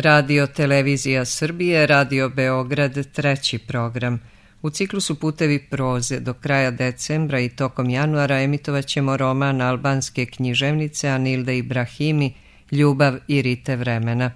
Radio Televizija Srbije, Radio Beograd, treći program. U ciklusu Putevi proze do kraja decembra i tokom januara emitovat ćemo roman albanske književnice Anilde Ibrahimi Ljubav i rite vremena.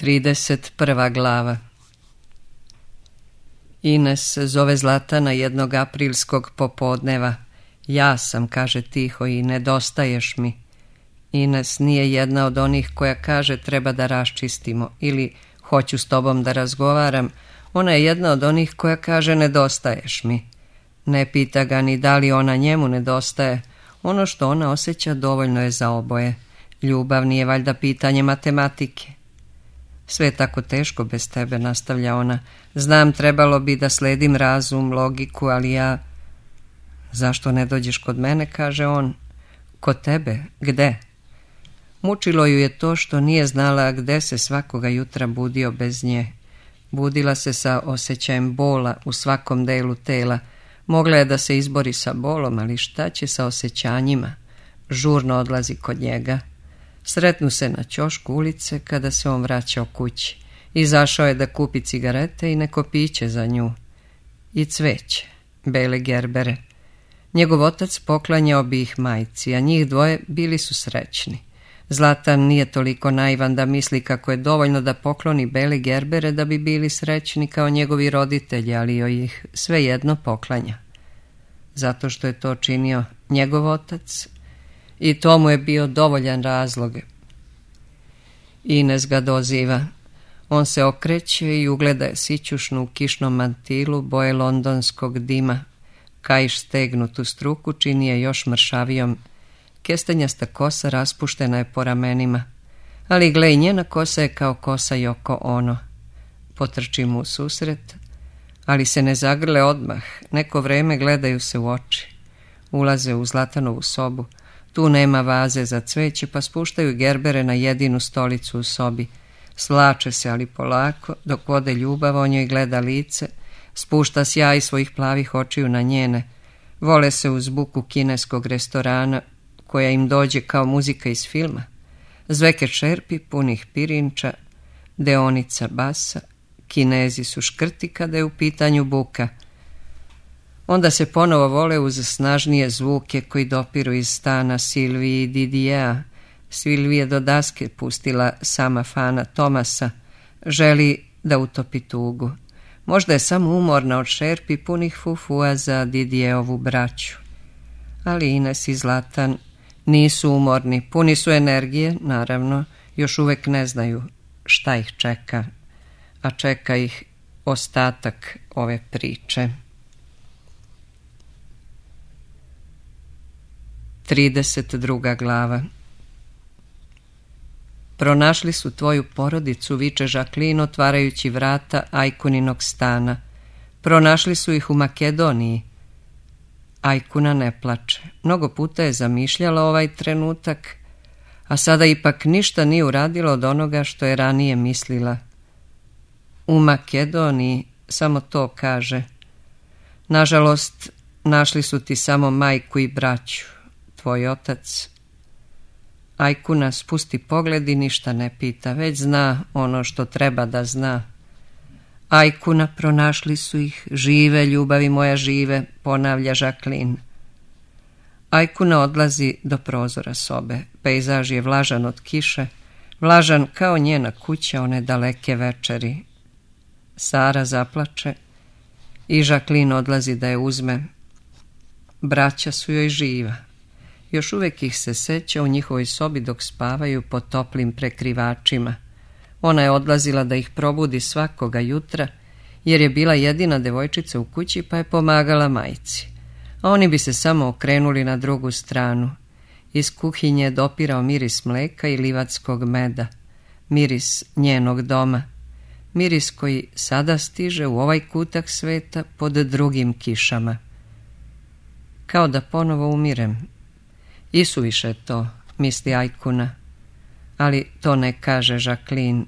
31. glava. Ines zove Zlatana jednog aprilskog popodneva. Ja sam, kaže tiho, i nedostaješ mi. Ines nije jedna od onih koja kaže treba da raščistimo ili hoću s tobom da razgovaram. Ona je jedna od onih koja kaže nedostaješ mi. Ne pita ga ni da li ona njemu nedostaje. Ono što ona osjeća dovoljno je za oboje. Ljubav nije valjda pitanje matematike. Sve je tako teško bez tebe, nastavlja ona. Znam, trebalo bi da sledim razum, logiku, ali ja... Zašto ne dođeš kod mene, kaže on. Kod tebe? Gde? Mučilo ju je to što nije znala gde se svakoga jutra budio bez nje. Budila se sa osjećajem bola u svakom delu tela. Mogla je da se izbori sa bolom, ali šta će sa osjećanjima? Žurno odlazi kod njega. Sretnu se na ćošku ulice kada se on vraćao kući. Izašao je da kupi cigarete i neko piće za nju. I cveće, bele gerbere. Njegov otac poklanjao bi ih majci, a njih dvoje bili su srećni. Zlatan nije toliko naivan da misli kako je dovoljno da pokloni bele gerbere da bi bili srećni kao njegovi roditelji, ali joj ih svejedno poklanja. Zato što je to činio njegov otac i to mu je bio dovoljan razlog. Ines ga doziva. On se okreće i ugleda je sićušnu u kišnom mantilu boje londonskog dima. Kaiš stegnutu struku čini je još mršavijom. Kestenjasta kosa raspuštena je po ramenima. Ali gle, i njena kosa je kao kosa Yoko Ono. Potrči mu u susret, ali se ne zagrle odmah. Neko vreme gledaju se u oči. Ulaze u Zlatanovu sobu. Tu nema vaze za cveće, pa spuštaju gerbere na jedinu stolicu u sobi. Svlače se, ali polako, dok vode ljubav, on joj gleda lice, spušta sjaj svojih plavih očiju na njene. Vole se uz buku kineskog restorana, koja im dođe kao muzika iz filma. Zveke čerpi punih pirinča, deonica basa, Kinezi su škrti kada je u pitanju buka. Onda se ponovo vole uz snažnije zvuke koji dopiru iz stana Silviji i Didijea. Silvija do daske pustila sama fana Tomasa. Želi da utopi tugu. Možda je samo umorna od šerpi punih fufua za Didijeovu braću. Ali Ines i Zlatan nisu umorni, puni su energije, naravno, još uvek ne znaju šta ih čeka, a čeka ih ostatak ove priče. 32. glava. Pronašli su tvoju porodicu, viče Žaklin otvarajući vrata Ajkuninog stana. Pronašli su ih u Makedoniji. Ajkuna ne plače. Mnogo puta je zamišljala ovaj trenutak, a sada ipak ništa nije uradila od onoga što je ranije mislila. U Makedoniji, samo to kaže. Nažalost, našli su ti samo majku i braću. Tvoj otac. Ajkuna spusti pogled i ništa ne pita, već zna ono što treba da zna. Ajkuna, pronašli su ih, žive, ljubavi moja, žive, ponavlja Žaklin. Ajkuna odlazi do prozora sobe. Pejzaž je vlažan od kiše, vlažan kao njena kuća one daleke večeri. Sara zaplače i Žaklin odlazi da je uzme. Braća su joj živa. Još uvek ih se seća u njihovoj sobi dok spavaju pod toplim prekrivačima. Ona je odlazila da ih probudi svakoga jutra, jer je bila jedina devojčica u kući pa je pomagala majci. A oni bi se samo okrenuli na drugu stranu. Iz kuhinje je dopirao miris mleka i livatskog meda. Miris njenog doma. Miris koji sada stiže u ovaj kutak sveta pod drugim kišama. Kao da ponovo umirem. Isuviše to, misli Ajkuna. Ali to ne kaže Žaklin.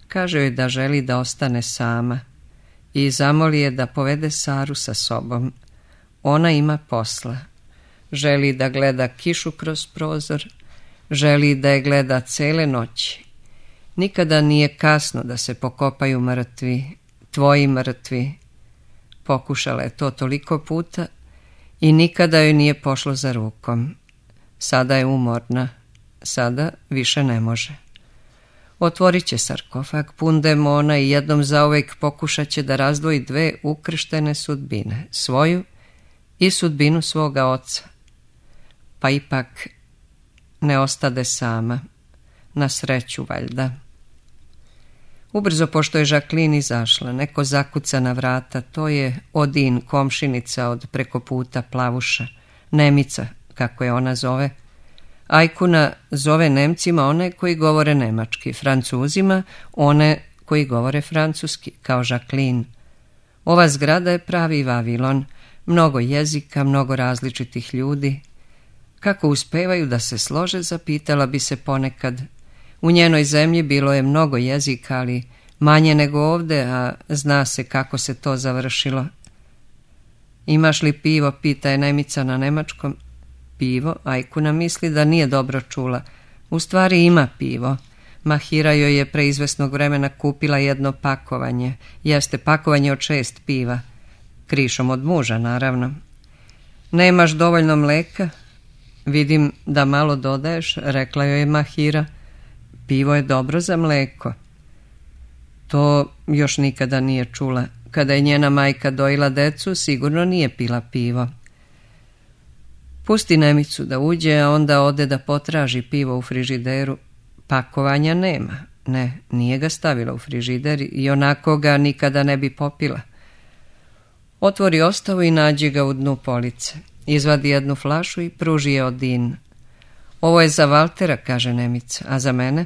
Kaže joj da želi da ostane sama. I zamoli je da povede Saru sa sobom. Ona ima posla. Želi da gleda kišu kroz prozor. Želi da je gleda cele noći. Nikada nije kasno da se pokopaju mrtvi, tvoji mrtvi. Pokušala je to toliko puta i nikada joj nije pošlo za rukom. Sada je umorna, sada više ne može. Otvorit će sarkofag pun demona i jednom zauvek pokušat će da razdvoji dve ukrštene sudbine, svoju i sudbinu svoga oca. Pa ipak ne ostade sama, na sreću valjda. Ubrzo pošto je Jacqueline izašla, neko zakuca na vrata, to je Odin, komšinica od preko puta Plavuša, Nemica, kako je ona zove. Ajkuna zove Nemcima one koji govore nemački, Francuzima one koji govore francuski, kao Jacqueline. Ova zgrada je pravi Vavilon, mnogo jezika, mnogo različitih ljudi. Kako uspevaju da se slože, zapitala bi se ponekad. U njenoj zemlji bilo je mnogo jezika, ali manje nego ovde, a zna se kako se to završilo. Imaš li pivo, pita je Nemica na nemačkom. Pivo, Ajkuna misli da nije dobro čula. U stvari ima pivo. Mahira joj je pre izvesnog vremena kupila jedno pakovanje. Jeste pakovanje od 6 piva. Krišom od muža, naravno. Nemaš dovoljno mleka? Vidim da malo dodaješ, rekla joj je Mahira. Pivo je dobro za mleko. To još nikada nije čula. Kada je njena majka dojila decu, sigurno nije pila pivo. Pusti Nemicu da uđe, a onda ode da potraži pivo u frižideru. Pakovanja nema. Ne, nije ga stavila u frižider i onako ga nikada ne bi popila. Otvori ostavu i nađe ga u dnu police. Izvadi jednu flašu i pruži je Odin. Ovo je za Valtera, kaže Nemica, a za mene?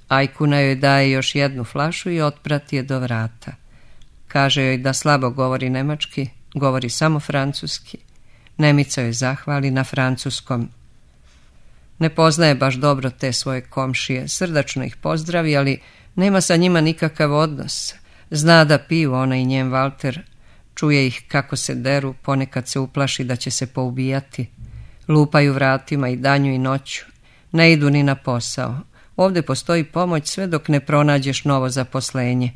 Ajkuna joj daje još jednu flašu i otprati je do vrata. Kaže joj da slabo govori nemački, govori samo francuski. Nemica joj zahvali na francuskom. Ne poznaje baš dobro te svoje komšije, srdačno ih pozdravi, ali nema sa njima nikakav odnos. Zna da piju ona i njen Valter, čuje ih kako se deru, ponekad se uplaši da će se poubijati. Lupaju vratima i danju i noću, ne idu ni na posao. Ovde postoji pomoć sve dok ne pronađeš novo zaposlenje.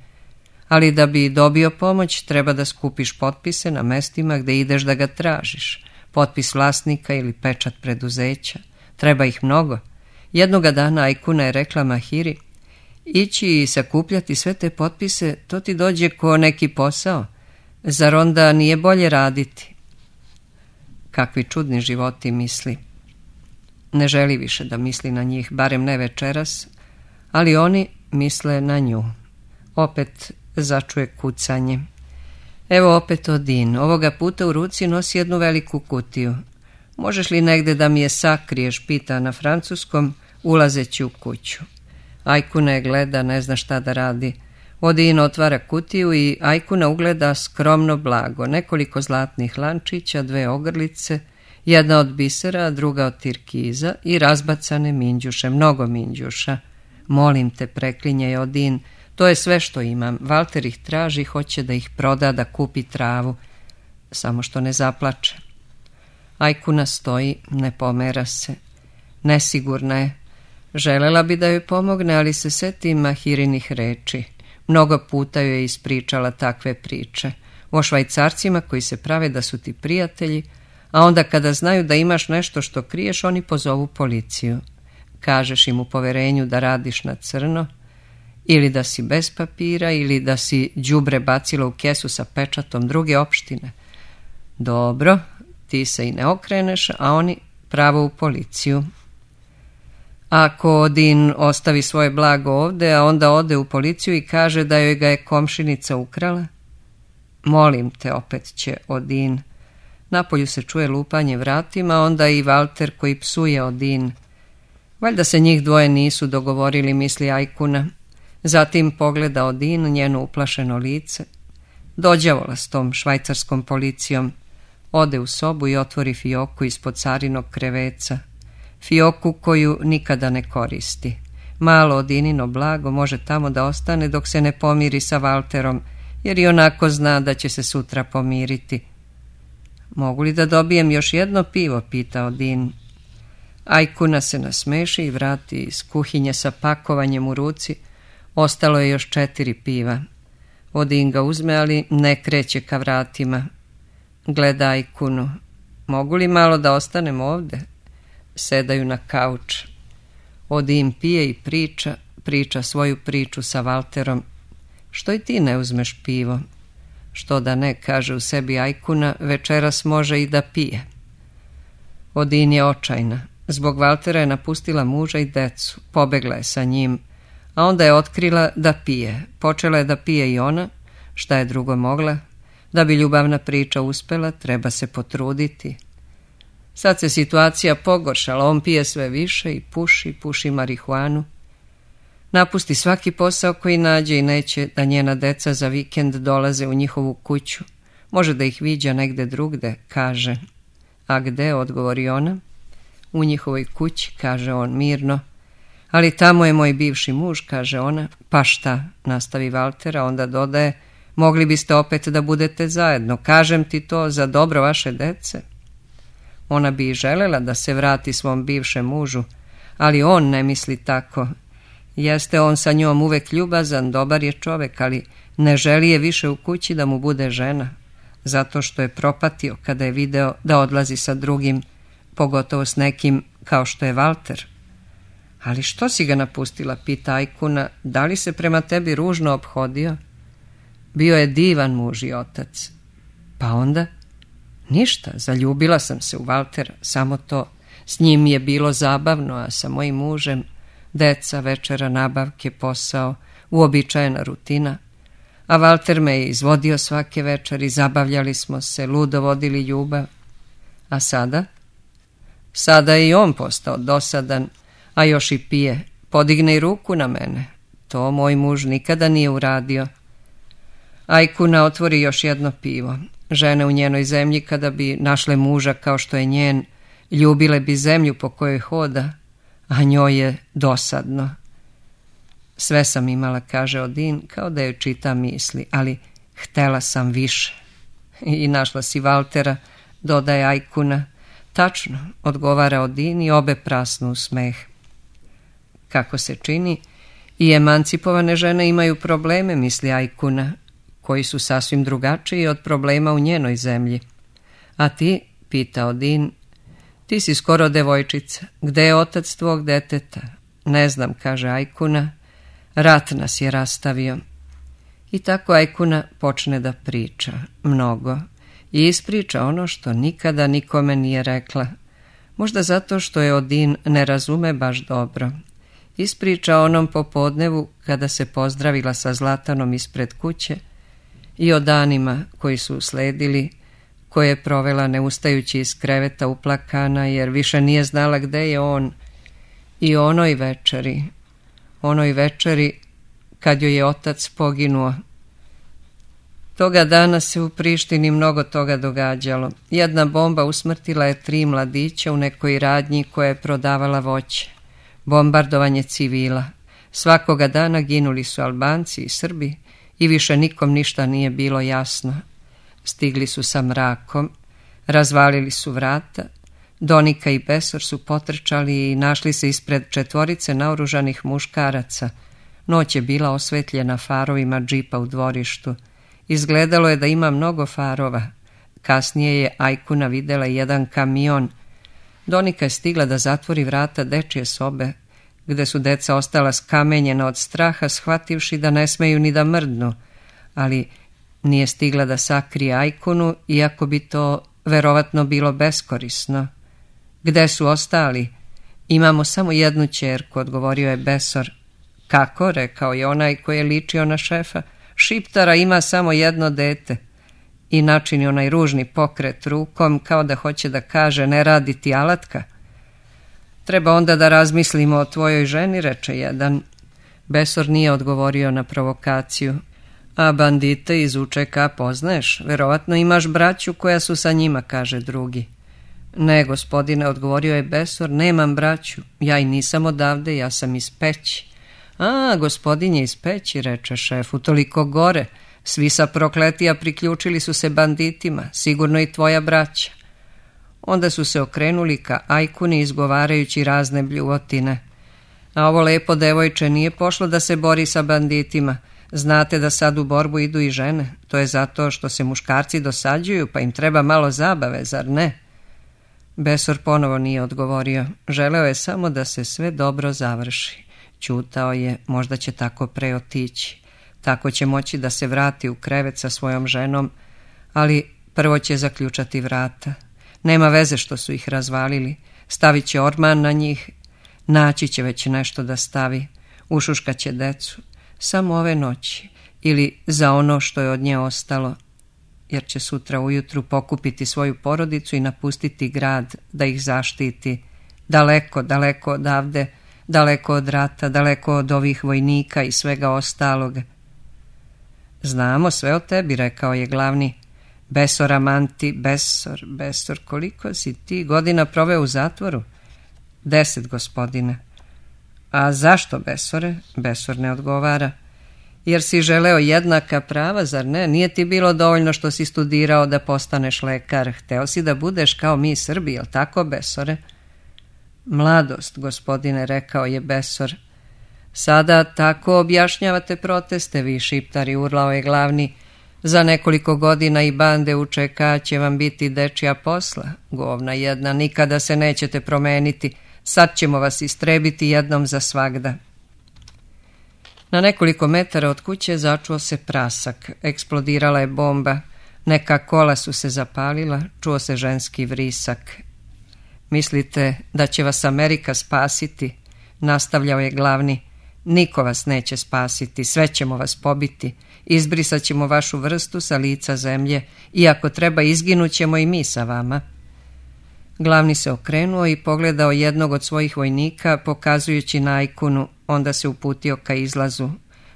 Ali da bi dobio pomoć, treba da skupiš potpise na mestima gde ideš da ga tražiš. Potpis vlasnika ili pečat preduzeća. Treba ih mnogo. Jednoga dana Ajkuna je rekla Mahiri, ići i sakupljati sve te potpise, to ti dođe ko neki posao. Zar onda nije bolje raditi? Kakvi čudni životi, misli. Ne želi više da misli na njih, barem ne večeras, ali oni misle na nju. Opet začuje kucanje. Evo opet Odin. Ovoga puta u ruci nosi jednu veliku kutiju. Možeš li negde da mi je sakriješ, pita na francuskom, ulazeći u kuću. Ajkuna je gleda, ne zna šta da radi. Odin otvara kutiju i Ajkuna ugleda skromno blago, nekoliko zlatnih lančića, 2 ogrlice, jedna od bisera, a druga od tirkiza i razbacane minđuše, mnogo minđuša. Molim te, preklinje je Odin, to je sve što imam. Valter ih traži, hoće da ih proda, da kupi travu. Samo što ne zaplače. Ajkuna stoji, ne pomera se. Nesigurna je. Želela bi da joj pomogne, ali se seti Mahirinih reči. Mnogo puta joj je ispričala takve priče. O Švajcarcima koji se prave da su ti prijatelji, a onda kada znaju da imaš nešto što kriješ, oni pozovu policiju. Kažeš im u poverenju da radiš na crno, ili da si bez papira, ili da si đubre bacila u kesu sa pečatom druge opštine. Dobro, ti se i ne okreneš, a oni pravo u policiju. Ako Odin ostavi svoje blago ovde, a onda ode u policiju i kaže da joj ga je komšinica ukrala? Molim te, opet će Odin. Napolju se čuje lupanje vratima, onda i Valter koji psuje Odin. Valjda se njih dvoje nisu dogovorili, misli Ajkuna. Zatim pogleda Odin, njeno uplašeno lice. Dođavola s tom švajcarskom policijom. Ode u sobu i otvori fioku ispod carinog kreveca. Fioku koju nikada ne koristi. Malo Odinino blago može tamo da ostane dok se ne pomiri sa Valterom, jer i onako zna da će se sutra pomiriti. Mogu li da dobijem još jedno pivo, pita Odin. Ajkuna se nasmeši i vrati iz kuhinje sa pakovanjem u ruci. Ostalo je još 4 piva. Odin ga uzme, ali ne kreće ka vratima. Gleda Ajkunu. Mogu li malo da ostanem ovde? Sedaju na kauč. Odin pije i priča svoju priču sa Valterom. Što i ti ne uzmeš pivo? Što da ne, kaže u sebi Ajkuna, večeras može i da pije. Odin je očajna. Zbog Valtera je napustila muža i decu. Pobegla je sa njim, a onda je otkrila da pije. Počela je da pije i ona. Šta je drugo mogla? Da bi ljubavna priča uspela, treba se potruditi. Sad se situacija pogoršala, on pije sve više i puši marihuanu. Napusti svaki posao koji nađe i neće da njena deca za vikend dolaze u njihovu kuću. Može da ih viđa negde drugde, kaže. A gde, odgovori ona. U njihovoj kući, kaže on mirno. Ali tamo je moj bivši muž, kaže ona. Pa šta, nastavi Valtera, onda dodaje, mogli biste opet da budete zajedno, kažem ti to za dobro vaše dece. Ona bi i želela da se vrati svom bivšem mužu, ali on ne misli tako. Jeste on sa njom uvek ljubazan, dobar je čovek, ali ne želi je više u kući da mu bude žena, zato što je propatio kada je video da odlazi sa drugim, pogotovo s nekim kao što je Valter. Ali što si ga napustila, pita Ajkuna, da li se prema tebi ružno ophodio? Bio je divan muž i otac. Pa onda? Ništa, zaljubila sam se u Valtera, samo to. S njim je bilo zabavno, a sa mojim mužem deca, večera, nabavke, posao, uobičajena rutina. A Valter me je izvodio svake večeri, zabavljali smo se, ludo vodili ljubav. A sada? Sada je i on postao dosadan, a još i pije. Podigne i ruku na mene. To moj muž nikada nije uradio. Ajkuna otvori još jedno pivo. Žene u njenoj zemlji, kada bi našle muža kao što je njen, ljubile bi zemlju po kojoj hoda, a njoj je dosadno. Sve sam imala, kaže Odin, kao da joj čita misli, ali htela sam više. I našla si Valtera, dodaje Ajkuna. Tačno, odgovara Odin i obe prasnu u smeh. Kako se čini, i emancipovane žene imaju probleme, misli Ajkuna, koji su sasvim drugačiji od problema u njenoj zemlji. A ti, pita Odin, ti si skoro devojčica. Gde je otac tvog deteta? Ne znam, kaže Ajkuna. Rat nas je rastavio. I tako Ajkuna počne da priča. Mnogo. I ispriča ono što nikada nikome nije rekla. Možda zato što je Odin ne razume baš dobro. Ispriča onom popodnevu kada se pozdravila sa Zlatanom ispred kuće i o danima koji su usledili, koje je provela ne ustajući iz kreveta uplakana jer više nije znala gde je on, i onoj večeri kad joj je otac poginuo. Toga dana se u Prištini mnogo toga događalo. Jedna bomba usmrtila je 3 mladića u nekoj radnji koja je prodavala voće. Bombardovanje civila. Svakoga dana ginuli su Albanci i Srbi i više nikom ništa nije bilo jasno. Stigli su sa mrakom, razvalili su vrata, Donika i Besor su potrčali i našli se ispred 4 naoružanih muškaraca. Noć je bila osvetljena farovima džipa u dvorištu. Izgledalo je da ima mnogo farova. Kasnije je Ajkuna videla jedan kamion. Donika je stigla da zatvori vrata dečje sobe, gde su deca ostala skamenjena od straha, shvativši da ne smeju ni da mrdnu, ali nije stigla da sakrije Ajkunu, iako bi to verovatno bilo beskorisno. Gde su ostali? Imamo samo jednu ćerku, odgovorio je Besor. Kako, rekao je onaj koji je ličio na šefa. Šiptara ima samo jedno dete. I načini onaj ružni pokret rukom, kao da hoće da kaže ne radi ti alatka. Treba onda da razmislimo o tvojoj ženi, reče jedan. Besor nije odgovorio na provokaciju. A bandite iz UČK poznaješ? Verovatno imaš braću koja su sa njima, kaže drugi. Ne, gospodine, odgovorio je Besor, nemam braću. Ja i nisam odavde, ja sam iz Peći. A, gospodin je iz Peći, reče šef, utoliko gore. Svi sa Prokletija priključili su se banditima, sigurno i tvoja braća. Onda su se okrenuli ka Ajkuni izgovarajući razne bljuvotine. A ovo lepo devojče nije pošlo da se bori sa banditima. Znate da sad u borbu idu i žene. To je zato što se muškarci dosađuju, pa im treba malo zabave, zar ne? Besor ponovo nije odgovorio. Želeo je samo da se sve dobro završi. Ćutao je, možda će tako pre otići. Tako će moći da se vrati u krevet sa svojom ženom, ali prvo će zaključati vrata. Nema veze što su ih razvalili. Stavit će orman na njih, naći će već nešto da stavi, ušuškat će decu. Samo ove noći ili za ono što je od nje ostalo, jer će sutra ujutru pokupiti svoju porodicu i napustiti grad da ih zaštiti. Daleko, daleko odavde, daleko od rata, daleko od ovih vojnika i svega ostalog. Znamo sve o tebi, rekao je glavni. Besor Amanti, Besor, koliko si ti godina proveo u zatvoru? 10, gospodine. A zašto, Besore? Besor ne odgovara. Jer si želeo jednaka prava, zar ne? Nije ti bilo dovoljno što si studirao da postaneš lekar. Hteo si da budeš kao mi Srbi, jel tako, Besore? Mladost, gospodine, rekao je Besor. Sada tako objašnjavate proteste, vi šiptari, urlao je glavni. Za nekoliko godina i bande UČK će vam biti dečija posla. Govna jedna, nikada se nećete promeniti. Sad ćemo vas istrebiti jednom za svagda. Na nekoliko metara od kuće začuo se prasak. Eksplodirala je bomba. Neka kola su se zapalila. Čuo se ženski vrisak. Mislite da će vas Amerika spasiti? Nastavljao je glavni. Niko vas neće spasiti. Sve ćemo vas pobiti. Izbrisat ćemo vašu vrstu sa lica zemlje. I ako treba, izginut ćemo i mi sa vama. Glavni se okrenuo i pogledao jednog od svojih vojnika, pokazujući na Ajkunu, onda se uputio ka izlazu.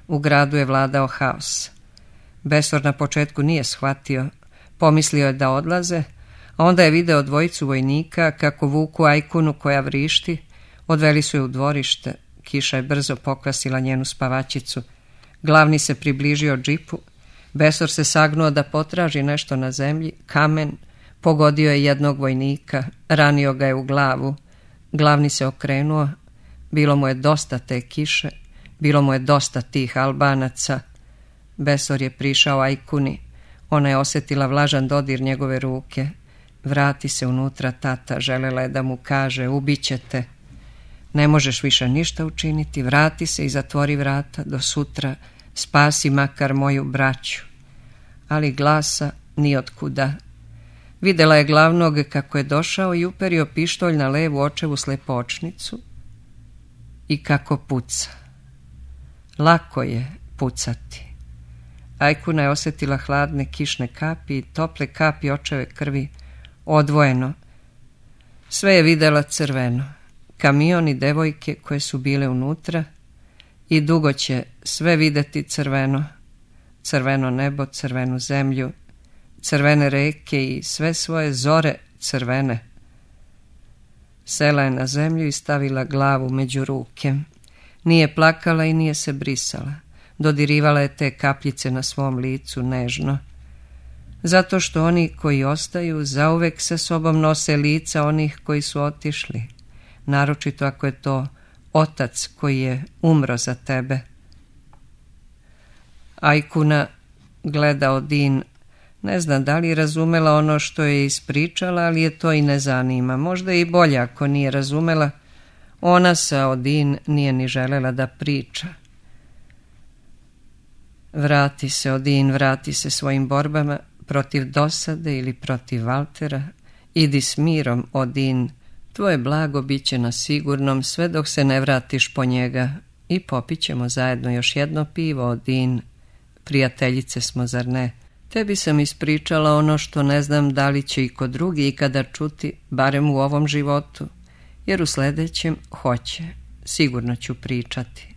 U gradu je vladao haos. Besor na početku nije shvatio. Pomislio je da odlaze, a onda je video dvojicu vojnika kako vuku Ajkunu koja vrišti. Odveli su je u dvorište. Kiša je brzo pokvasila njenu spavačicu. Glavni se približio džipu. Besor se sagnuo da potraži nešto na zemlji. Kamen. Pogodio je jednog vojnika, ranio ga je u glavu. Glavni se okrenuo. Bilo mu je dosta te kiše, bilo mu je dosta tih Albanaca. Besor je prišao Ajkuni. Ona je osjetila vlažan dodir njegove ruke. Vrati se unutra, tata, želela je da mu kaže, ubiće te. Ne možeš više ništa učiniti, vrati se i zatvori vrata, do sutra spasi makar moju braću. Ali glasa ni otkuda. Videla je glavnog kako je došao i uperio pištolj na levu očevu slepočnicu i kako puca. Lako je pucati. Ajkuna je osjetila hladne kišne kapi i tople kapi očeve krvi, odvojeno. Sve je videla crveno. Kamion i devojke koje su bile unutra i dugo će sve videti crveno. Crveno nebo, crvenu zemlju, crvene reke i sve svoje zore crvene. Sela je na zemlju i stavila glavu među ruke. Nije plakala i nije se brisala. Dodirivala je te kapljice na svom licu nežno. Zato što oni koji ostaju zauvek sa sobom nose lica onih koji su otišli. Naročito ako je to otac koji je umro za tebe. Ajkuna gleda Odin. Ne znam da li je razumela ono što je ispričala, ali je to i ne zanima. Možda je i bolje ako nije razumela. Ona sa Odin nije ni želela da priča. Vrati se, Odin, vrati se svojim borbama protiv dosade ili protiv Valtera. Idi s mirom, Odin. Tvoje blago bit će na sigurnom sve dok se ne vratiš po njega. I popit ćemo zajedno još jedno pivo, Odin. Prijateljice smo, zar ne? Tebi sam ispričala ono što ne znam da li će i kod drugi ikada čuti, barem u ovom životu, jer u sljedećem hoće. Sigurno ću pričati.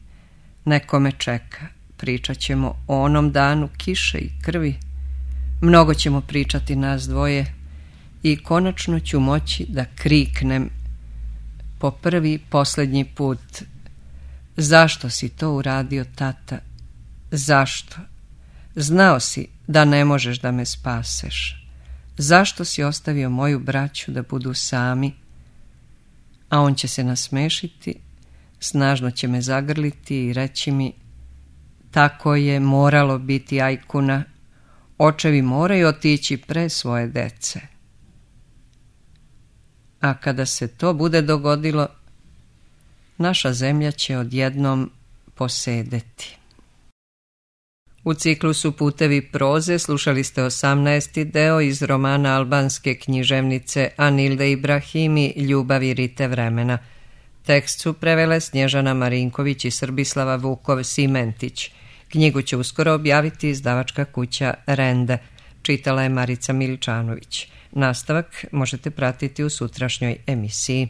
Neko me čeka. Pričat ćemo o onom danu kiše i krvi. Mnogo ćemo pričati nas dvoje i konačno ću moći da kriknem po prvi i posljednji put. Zašto si to uradio, tata? Zašto? Znao si da ne možeš da me spaseš. Zašto si ostavio moju braću da budu sami? A on će se nasmešiti, snažno će me zagrliti i reći mi: tako je moralo biti, Ajkuna, očevi moraju otići pre svoje dece. A kada se to bude dogodilo, naša zemlja će odjednom posedeti. U ciklusu Putevi proze slušali ste 18. deo iz romana albanske književnice Anilde Ibrahimi Ljubav i rite vremena. Tekst su prevele Snježana Marinković i Srbislava Vukov-Simentić. Knjigu će uskoro objaviti izdavačka kuća Rende. Čitala je Marica Miličanović. Nastavak možete pratiti u sutrašnjoj emisiji.